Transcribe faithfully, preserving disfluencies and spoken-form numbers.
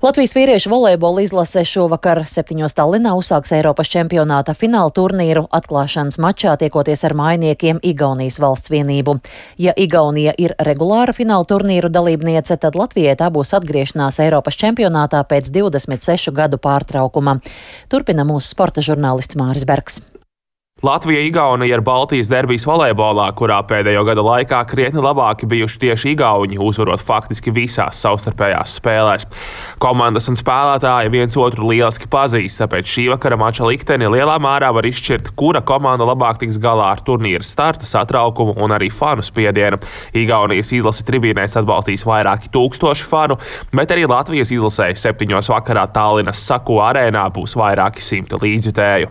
Latvijas vīriešu volejbola izlase šovakar septiņos Tallinā uzsāks Eiropas čempionāta fināla turnīru atklāšanas mačā tiekoties ar mājiniekiem Igaunijas valsts vienību. Ja Igaunija ir regulāra fināla turnīru dalībniece, tad Latvijai tā būs atgriešanās Eiropas čempionātā pēc divdesmit sešu gadu pārtraukuma. Turpina mūsu sporta žurnālists Māris Bergs. Latvija-Igaunija ir Baltijas derbijas volejbolā, kurā pēdējo gadu laikā krietni labāki bijuši tieši igauņi, uzvarot faktiski visās savstarpējās spēlēs. Komandas un spēlētāji viens otru lieliski pazīst, tāpēc šī vakara mača likteni lielā mērā var izšķirt, kura komanda labāk tiks galā ar turnīra starta satraukumu un arī fanu spiedienu. Igaunijas izlase tribīnēs atbalstīs vairāki tūkstoši fanu, bet arī Latvijas izlasē septiņos vakarā Tallinas Saku arēnā būs vairāki simti līdzjutēju.